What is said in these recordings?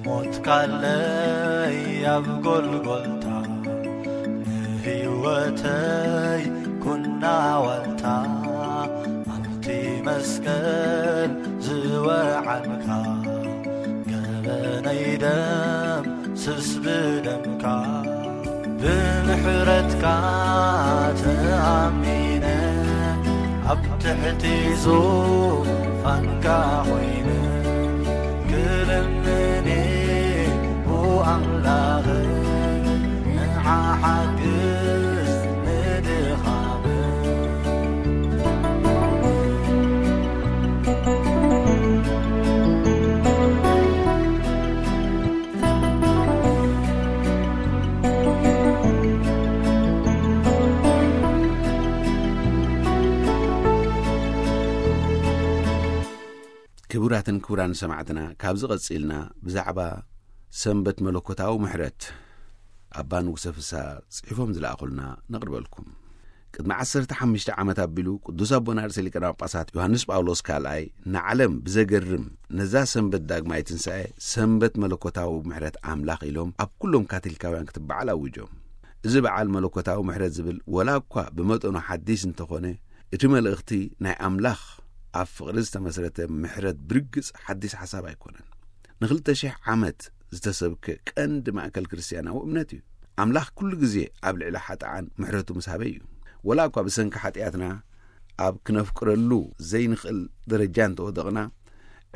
ሞትካለይ ኣብ ጎልጎልታ፣ ንህይወተይ ኩና ዋልታ፣ ኣብቲ መስቀል ዝወዓልካ፣ ገበነይ ደምስስ ብደምካ። ብምሕረትካ ተኣሚነ፣ ኣብ ትሕቲ ዙፋንካ ኮይነ፣ ክልምኔ ብኣምላኽ፣ ንዓ ሓግዝ ንድኻም። ክቡራትን ክቡራን ሰማዕትና፣ ካብዚ ቀጺልና ብዛዕባ ሰንበት መለኮታዊ ምሕረት ኣባ ንጉሰ ፍስሃ ጽሒፎም ዝለኣኹልና ነቕርበልኩም። ቅድሚ ዓሰርተ ሓሙሽተ ዓመት ኣቢሉ ቅዱስ ኣቦና ርእሰ ሊቃነ ጳጳሳት ዮሃንስ ጳውሎስ ካልኣይ ንዓለም ብዘገርም ነዛ ሰንበት ዳግማይ ትንሳኤ ሰንበት መለኮታዊ ምሕረት ኣምላኽ ኢሎም ኣብ ኩሎም ካቶሊካውያን ክትበዓል ኣዊጆም። እዚ በዓል መለኮታዊ ምሕረት ዝብል ወላ እኳ ብመጠኑ ሓዲስ እንተኾነ፣ እቲ መልእኽቲ ናይ ኣምላኽ ኣብ ፍቕሪ ዝተመስረተ ምሕረት ብርግጽ ሓዲስ ሓሳብ ኣይኮነን። ንኽልተ ሽሕ ዓመት ዝተሰብከ ቀንዲ ማእከል ክርስትያናዊ እምነት እዩ። ኣምላኽ ኩሉ ግዜ ኣብ ልዕሊ ሓጥኣን ምሕረቱ ምስ ሃበ እዩ። ወላ እኳ ብሰንኪ ሓጢኣትና ኣብ ክነፍቅረሉ ዘይንኽእል ደረጃ እንተወደቕና፣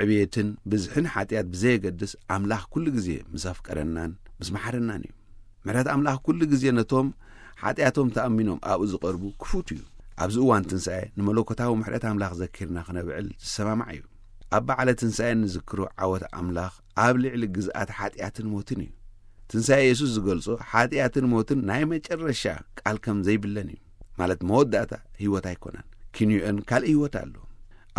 ዕብየትን ብዝሕን ሓጢኣት ብዘየገድስ ኣምላኽ ኩሉ ግዜ ምስ ኣፍቀረናን ምስ መሓረናን እዩ። ምሕረት ኣምላኽ ኩሉ ግዜ ነቶም ሓጢኣቶም ተኣሚኖም ኣብኡ ዝቐርቡ ክፉት እዩ። ኣብዚ እዋን ትንሳኤ ንመለኮታዊ ምሕረት ኣምላኽ ዘኪርና ክነብዕል ዝሰማማዕ እዩ። ኣብ በዓለ ትንሳኤ እንዝክሮ ዓወት ኣምላኽ ኣብ ልዕሊ ግዝኣት ሓጢኣትን ሞትን እዩ። ትንሳኤ የሱስ ዝገልጾ ሓጢኣትን ሞትን ናይ መጨረሻ ቃል ከም ዘይብለን እዩ። ማለት መወዳእታ ህይወት ኣይኮነን። ኪንዮአን ካልእ ህይወት ኣሎ።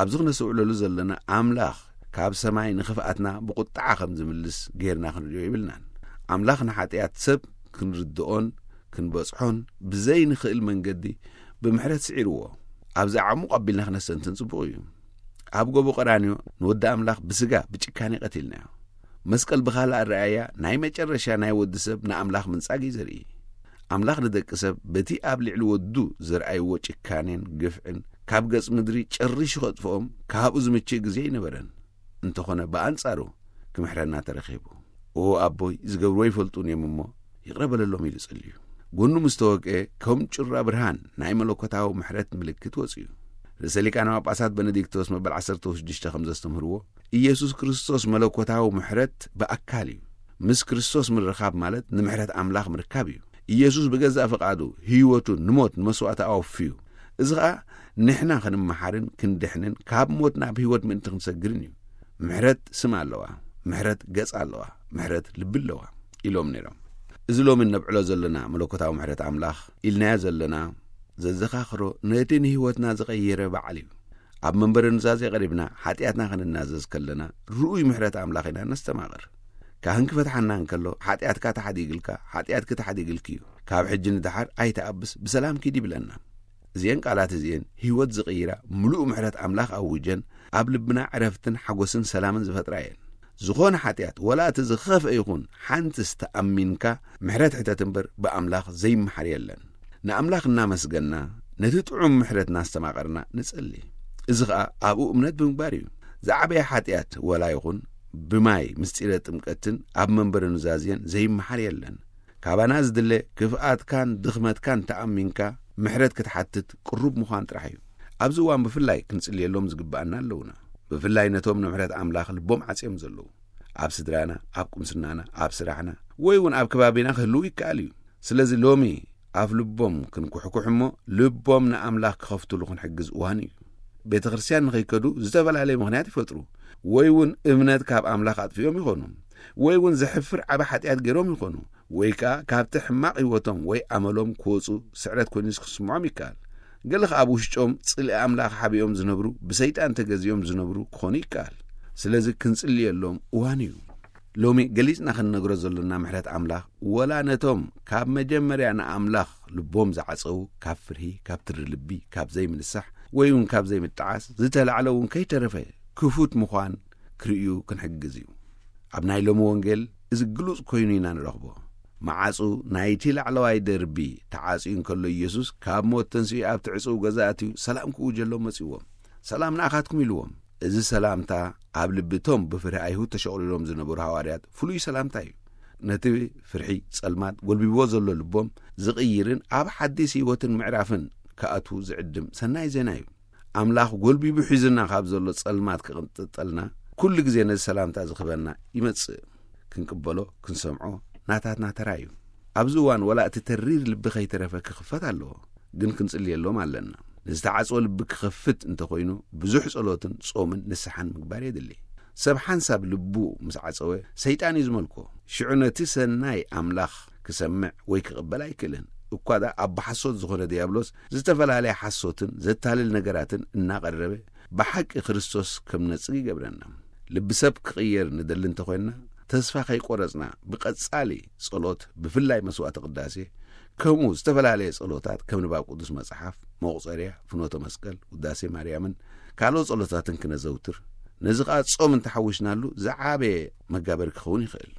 ኣብዚ ክነስተውዕለሉ ዘለና ኣምላኽ ካብ ሰማይ ንኽፍኣትና ብቁጥዓ ከም ዝምልስ ጌርና ክንርእዮ ይብልናን። ኣምላኽ ንሓጢኣት ሰብ ክንርድኦን ክንበጽሖን ብዘይንኽእል መንገዲ ብምሕረት ስዒርዎ። ኣብዚ ኣዕሙቕ ኣቢልና ክነስተንትን ጽቡቕ እዩ። ኣብ ጎቦ ቀራንዮ ንወዲ ኣምላኽ ብስጋ ብጭካኔ ቀቲልናዮ። መስቀል ብኻልእ ኣረኣእያ ናይ መጨረሻ ናይ ወዲ ሰብ ንኣምላኽ ምንጻግ እዩ ዘርኢ። ኣምላኽ ንደቂ ሰብ በቲ ኣብ ልዕሊ ወዱ ዘርኣይዎ ጭካኔን ግፍዕን ካብ ገጽ ምድሪ ጨሪሹ ከጥፍኦም ካብኡ ዝምችእ ግዜ ኣይነበረን። እንተኾነ ብኣንጻሩ ክምሕረና ተረኺቡ። "ኦ ኣቦይ፣ ዝገብርዎ ኣይፈልጡን እዮም እሞ ይቕረ በለሎም" ኢሉ ጸልዩ። ጎኑ ምስ ተወግአ ከም ጩራ ብርሃን ናይ መለኮታዊ ምሕረት ምልክት ወጽኡ። ርእሰ ሊቃነ ጳጳሳት በነዲክቶስ መበል ዓሰርተ ሽዱሽተ ከም ዘስተምህርዎ፣ ኢየሱስ ክርስቶስ መለኮታዊ ምሕረት ብኣካል እዩ። ምስ ክርስቶስ ምርኻብ ማለት ንምሕረት ኣምላኽ ምርካብ እዩ። ኢየሱስ ብገዛእ ፍቓዱ ህይወቱ ንሞት ንመስዋእቲ ኣወፍዩ። እዚ ኸኣ ንሕና ክንመሓርን ክንድሕንን ካብ ሞት ናብ ህይወት ምእንቲ ክንሰግርን እዩ። ምሕረት ስም ኣለዋ፣ ምሕረት ገጽ ኣለዋ፣ ምሕረት ልቢ ኣለዋ ኢሎም ነይሮም። እዚ ሎሚ እነብዕሎ ዘለና መለኮታዊ ምሕረት ኣምላኽ ኢልናዮ ዘለና ዘዘኻኽሮ ነቲ ንህይወትና ዝቐየረ በዓል እዩ። ኣብ መንበረ ኑዛዜ ቀሪብና ሓጢኣትና ክንናዘዝ ከለና ርኡይ ምሕረት ኣምላኽ ኢና ነስተማቕር። ካህን ክፈትሓና እንከሎ፣ "ሓጢኣትካ ተሓዲግልካ፣ ሓጢኣትኪ ተሓዲግልኪ እዩ። ካብ ሕጂ ንደሓር ኣይትኣብስ፣ ብሰላም ኪድ" ይብለና። እዚኤን ቃላት እዚኤን ህይወት ዝቕይራ ምሉእ ምሕረት ኣምላኽ ኣውጀን ኣብ ልብና ዕረፍትን ሓጎስን ሰላምን ዝፈጥራ እየን። ዝኾነ ሓጢኣት፣ ወላ እቲ ዝኸፍአ ይኹን፣ ሓንትስ ተኣሚንካ ምሕረት ሕተት እምበር ብኣምላኽ ዘይመሓር የለን። ንኣምላኽ እናመስገና፣ ነቲ ጥዑም ምሕረት እናስተማቐርና ንጸሊ። እዚ ኸኣ ኣብኡ እምነት ብምግባር እዩ። ዝዓበየ ሓጢኣት ወላ ይኹን ብማይ ምስጢረ ጥምቀትን ኣብ መንበረ ኑዛዜን ዘይመሓር የለን። ካባና ዝድለ ክፍኣትካን ድኽመትካን ተኣሚንካ ምሕረት ክትሓትት ቅሩብ ምዃን ጥራሕ እዩ። ኣብዚ እዋን ብፍላይ ክንጽልየሎም ዝግብኣና ኣለውና። ብፍላይ ነቶም ንምሕረት ኣምላኽ ልቦም ዓጽዮም ዘለዉ። ኣብ ስድራና፣ ኣብ ቁምስናና፣ ኣብ ስራሕና፣ ወይ እውን ኣብ ከባቢና ክህልዉ ይከኣል እዩ። ስለዚ ሎሚ ኣፍ ልቦም ክንኩሕኩሕ እሞ ልቦም ንኣምላኽ ክኸፍትሉ ክንሕግዝ እዋን እዩ። ቤተ ክርስቲያን ንኸይከዱ ዝተፈላለየ ምኽንያት ይፈጥሩ፣ ወይ እውን እምነት ካብ ኣምላኽ ኣጥፊኦም ይኾኑ፣ ወይ እውን ዘሕፍር ዓቢ ሓጢኣት ገይሮም ይኾኑ፣ ወይ ከኣ ካብቲ ሕማቕ ህይወቶም ወይ ኣመሎም ክወጹ ስዕረት ኮይኑ ክስምዖም ይከኣል። ገለ ከኣ ኣብ ውሽጦም ጽልኢ ኣምላኽ ሓቢኦም ዝነብሩ፣ ብሰይጣን ተገዚኦም ዝነብሩ ክኾኑ ይከኣል። ስለዚ ክንጽልየሎም እዋን እዩ። ሎሚ ገሊጽና ክንነግሮ ዘሎና ምሕረት ኣምላኽ፣ ወላ ነቶም ካብ መጀመርያ ንኣምላኽ ልቦም ዝዓጸዉ፣ ካብ ፍርሂ፣ ካብ ትሪ ልቢ፣ ካብ ዘይምንሳሕ፣ ወይ እውን ካብ ዘይምጥዓስ ዝተላዕለ እውን ከይተረፈ ክፉት ምዃን ክርእዩ ክንሕግዝ እዩ። ኣብ ናይ ሎሚ ወንጌል እዚ ግሉጽ ኮይኑ ኢና ንረኽቦ። መዓጹ ናይቲ ላዕለዋይ ደርቢ ተዓጽዩ እንከሎ፣ ኢየሱስ ካብ ሞት ተንሲኡ ኣብቲ ዕጹው ገዛ ኣትዩ ሰላም ክእውጀሎም መጺዎም። "ሰላም ንኣኻትኩም" ኢልዎም። እዚ ሰላምታ ኣብ ልቢ እቶም ብፍርሒ ኣይሁድ ተሸቑሊሎም ዝነበሩ ሃዋርያት ፍሉይ ሰላምታ እዩ። ነቲ ፍርሒ ጸልማት ጎልቢብዎ ዘሎ ልቦም ዝቕይርን ኣብ ሓዲስ ህይወትን ምዕራፍን ክኣትዉ ዝዕድም ሰናይ ዜና እዩ። ኣምላኽ ጎልቢቡ ሒዙና ካብ ዘሎ ጸልማት ክቕንጥጠልና፣ ኩሉ ግዜ ነዚ ሰላምታ ዝኽበና ይመጽእ። ክንቅበሎ፣ ክንሰምዖ ናታትና ተራ እዩ። ኣብዚ እዋን ወላ እቲ ተሪር ልቢ ከይተረፈ ክኽፈት ኣለዎ፣ ግን ክንጽልየሎም ኣለና። ንዝተዓጽወ ልቢ ክኸፍት እንተኾይኑ፣ ብዙሕ ጸሎትን ጾምን ንስሓን ምግባር የድሊ። ሰብ ሓንሳብ ልቡ ምስ ዓጸወ፣ ሰይጣን እዩ ዝመልኮ። ሽዑ ነቲ ሰናይ ኣምላኽ ክሰምዕ ወይ ክቕበል ኣይክእልን። እኳ ደኣ ኣብ ብሓሶት ዝኾነ ዲያብሎስ ዝተፈላለየ ሓሶትን ዘታልል ነገራትን እናቐረበ፣ ብሓቂ ክርስቶስ ከም ነጽግ ይገብረና። ልቢ ሰብ ክቕየር ንደሊ እንተኾይንና፣ ተስፋ ከይቆረጽና ብቐጻሊ ጸሎት፣ ብፍላይ መስዋዕቲ ቅዳሴ፣ ከምኡ ዝተፈላለየ ጸሎታት ከም ንባብ ቅዱስ መጽሓፍ፣ መቑጸርያ፣ ፍኖተ መስቀል፣ ውዳሴ ማርያምን ካልኦት ጸሎታትን ክነዘውትር፣ ነዚ ኸኣ ጾም እንተሓዊስናሉ ዝዓበየ መጋበሪ ክኸውን ይኽእል።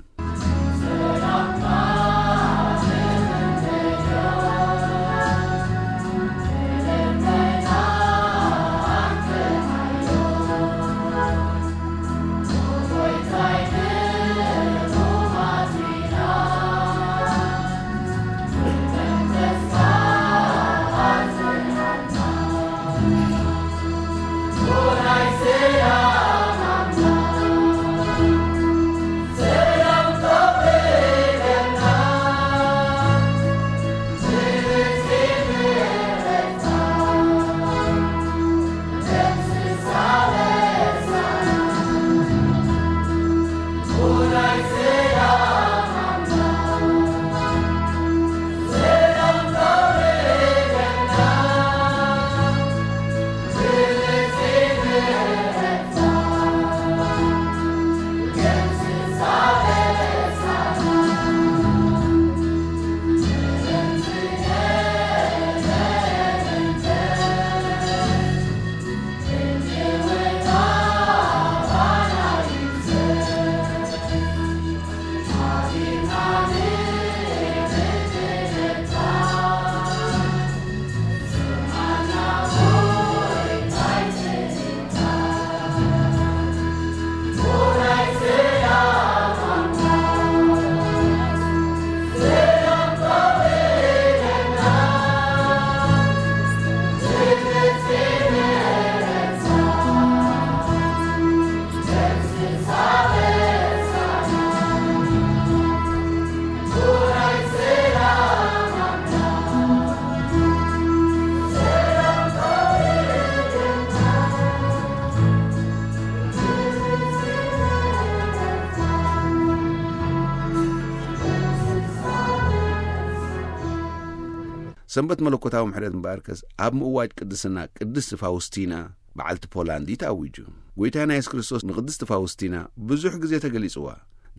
ሰንበት መለኮታዊ ምሕረት እምበኣርከስ ኣብ ምእዋጅ ቅድስና ቅድስቲ ፋውስቲና በዓልቲ ፖላንድ እዩ ተኣዊጁ። ጎይታና የሱስ ክርስቶስ ንቅድስቲ ፋውስቲና ብዙሕ ግዜ ተገሊጽዋ።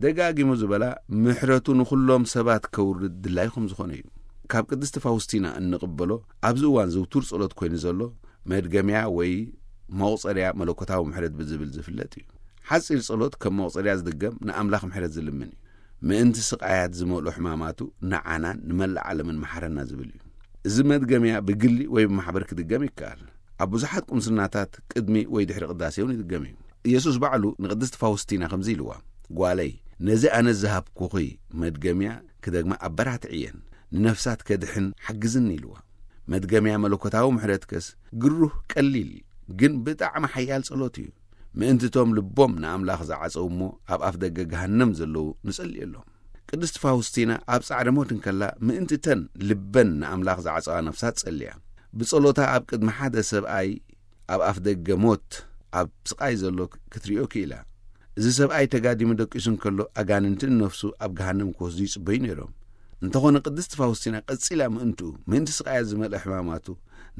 ደጋጊሙ ዝበላ ምሕረቱ ንኹሎም ሰባት ከውርድ ድላይ ከም ዝኾነ እዩ። ካብ ቅድስቲ ፋውስቲና እንቕበሎ ኣብዚ እዋን ዝውቱር ጸሎት ኮይኑ ዘሎ መድገምያ ወይ መቑጸርያ መለኮታዊ ምሕረት ብዝብል ዝፍለጥ እዩ። ሓጺር ጸሎት ከም መቑጸርያ ዝድገም ንኣምላኽ ምሕረት ዝልምን እዩ። ምእንቲ ስቓያት ዝመልኦ ሕማማቱ ንዓናን ንመላእ ዓለምን መሓረና ዝብል እዩ። እዚ መድገምያ ብግሊ ወይ ብማሕበር ክድገም ይከኣል። ኣብ ብዙሓት ቁምስናታት ቅድሚ ወይ ድሕሪ ቅዳሴ እውን ይድገም እዩ። ኢየሱስ ባዕሉ ንቅድስቲ ፋውስቲና ከምዚ ኢልዋ፣ "ጓለይ፣ ነዚ ኣነ ዝሃብኩኺ መድገምያ ክደግማ ኣበራትዕየን፣ ንነፍሳት ከድሕን ሓግዝኒ" ኢልዋ። መድገምያ መለኮታዊ ምሕረትከስ ግሩህ ቀሊል ግን ብጣዕሚ ሓያል ጸሎት እዩ። ምእንቲ እቶም ልቦም ንኣምላኽ ዝዓጸው እሞ ኣብ ኣፍ ደገ ገሃነም ዘለዉ ንጸልየሎም። ቅድስቲ ፋውስቲና ኣብ ጻዕሪ ሞት እንከላ ምእንቲ እተን ልበን ንኣምላኽ ዝዓጸዋ ነፍሳት ጸልያ። ብጸሎታ ኣብ ቅድሚ ሓደ ሰብኣይ ኣብ ኣፍ ደገ ሞት ኣብ ስቓይ ዘሎ ክትሪኦ ክኢላ። እዚ ሰብኣይ ተጋዲሙ ደቂሱ እንከሎ ኣጋንንትን ነፍሱ ኣብ ገሃነም ክወስዱ ይጽበዩ ነይሮም። እንተኾነ ቅድስቲ ፋውስቲና ቀጺላ ምእንትኡ ምእንቲ ስቓያት ዝመልአ ሕማማቱ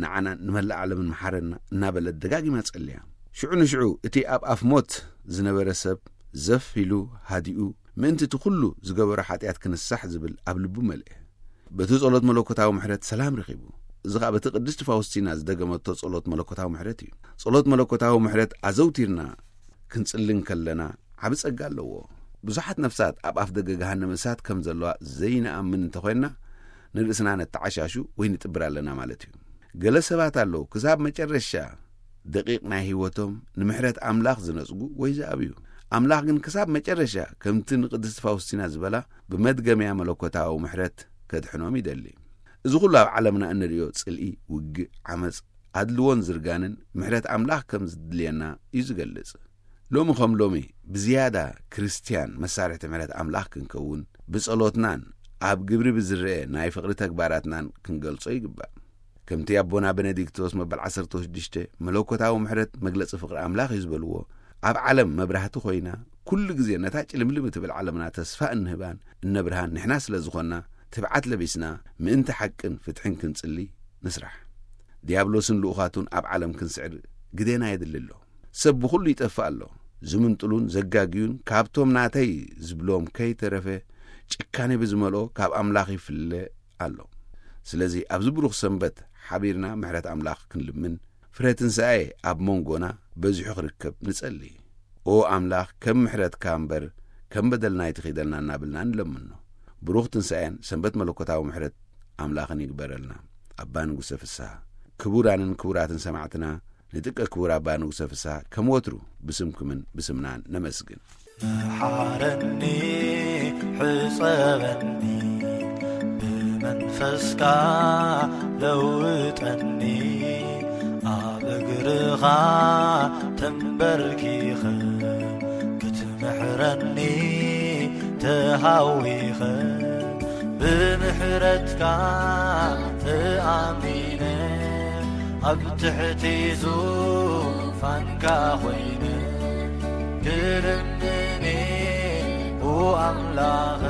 ንዓናን ንመላእ ዓለምን መሓረና እናበለት ደጋጊማ ጸልያ። ሽዑ ንሽዑ እቲ ኣብ ኣፍ ሞት ዝነበረ ሰብ ዘፍ ኢሉ ሃዲኡ ምእንቲ እቲ ኩሉ ዝገበሮ ሓጢኣት ክንሳሕ ዝብል ኣብ ልቡ መልአ። በቲ ጸሎት መለኮታዊ ምሕረት ሰላም ረኺቡ። እዚ ኸኣ በቲ ቅድስቲ ፋውስቲና ዝደገመቶ ጸሎት መለኮታዊ ምሕረት እዩ። ጸሎት መለኮታዊ ምሕረት ኣዘውቲርና ክንጽሊ እንከለና ዓቢ ጸጋ ኣለዎ። ብዙሓት ነፍሳት ኣብ ኣፍ ደገ ገሃነመ እሳት ከም ዘለዋ ዘይንኣምን እንተኾይንና፣ ንርእስና ነተዓሻሹ ወይ ንጥብር ኣለና ማለት እዩ። ገለ ሰባት ኣለዉ፣ ክሳብ መጨረሻ ደቂቕ ናይ ህይወቶም ንምሕረት ኣምላኽ ዝነጽጉ ወይ ዝኣብዩ። ኣምላኽ ግን ክሳብ መጨረሻ፣ ከምቲ ንቅድስቲ ፋውስቲና ዝበላ፣ ብመድገምያ መለኮታዊ ምሕረት ከድሕኖም ይደሊ። እዚ ኩሉ ኣብ ዓለምና እንርእዮ ጽልኢ፣ ውግእ፣ ዓመጽ፣ ኣድልዎን ዝርጋንን ምሕረት ኣምላኽ ከም ዝድልየና እዩ ዝገልጽ። ሎሚ ከም ሎሚ ብዝያዳ ክርስትያን መሳርሕቲ ምሕረት ኣምላኽ ክንከውን፣ ብጸሎትናን ኣብ ግብሪ ብዝረአ ናይ ፍቕሪ ተግባራትናን ክንገልጾ ይግባእ። ከምቲ ኣቦና ቤኔዲክቶስ መበል ዓሰርተ ሽዱሽተ መለኮታዊ ምሕረት መግለጺ ፍቕሪ ኣምላኽ እዩ ዝበልዎ፣ ኣብ ዓለም መብራህቲ ኮይና፣ ኩሉ ግዜ ነታ ጭልምልም እትብል ዓለምና ተስፋ እንህባን እነብርሃን ንሕና ስለ ዝኾንና፣ ትብዓት ለቢስና ምእንቲ ሓቅን ፍትሕን ክንጽሊ ንስራሕ። ዲያብሎስን ልኡኻቱን ኣብ ዓለም ክንስዕር ግዴና የድሊ ኣሎ። ሰብ ብኹሉ ይጠፍእ ኣሎ። ዝምንጥሉን ዘጋግዩን ካብቶም ናተይ ዝብሎም ከይተረፈ ጭካኔ ብዝመልኦ ካብ ኣምላኽ ይፍለ ኣሎ። ስለዚ ኣብዚ ብሩኽ ሰንበት ሓቢርና ምሕረት ኣምላኽ ክንልምን ፍረ ትንሳኤ ኣብ መንጎና በዚሑ ክርከብ ንጸሊ። ኦ ኣምላኽ፣ ከም ምሕረትካ እምበር ከም በደልና ኣይትኺደልና እናብልና ንለምኖ። ብሩኽ ትንሳኤን ሰንበት መለኮታዊ ምሕረት ኣምላኽን ይግበረልና። ኣባ ንጉሰ ፍስሃ። ክቡራንን ክቡራትን ሰማዕትና፣ ንጥቀ ክቡር ኣባ ንጉሰ ፍስሃ ከም ወትሩ ብስምኩምን ብስምናን ነመስግን። መሓረኒ፣ ሕጸበኒ፣ ብመንፈስካ ለውጠኒ፣ ኣብ እግርኻ ተንበርኪኸ ክትምሕረኒ ተሃዊኸ፣ ብምሕረትካ ተኣሚነ፣ ኣብ ትሕቲ ዙፋንካ ኮይነ ክልምኒ፣ ኦ ኣምላኽ፣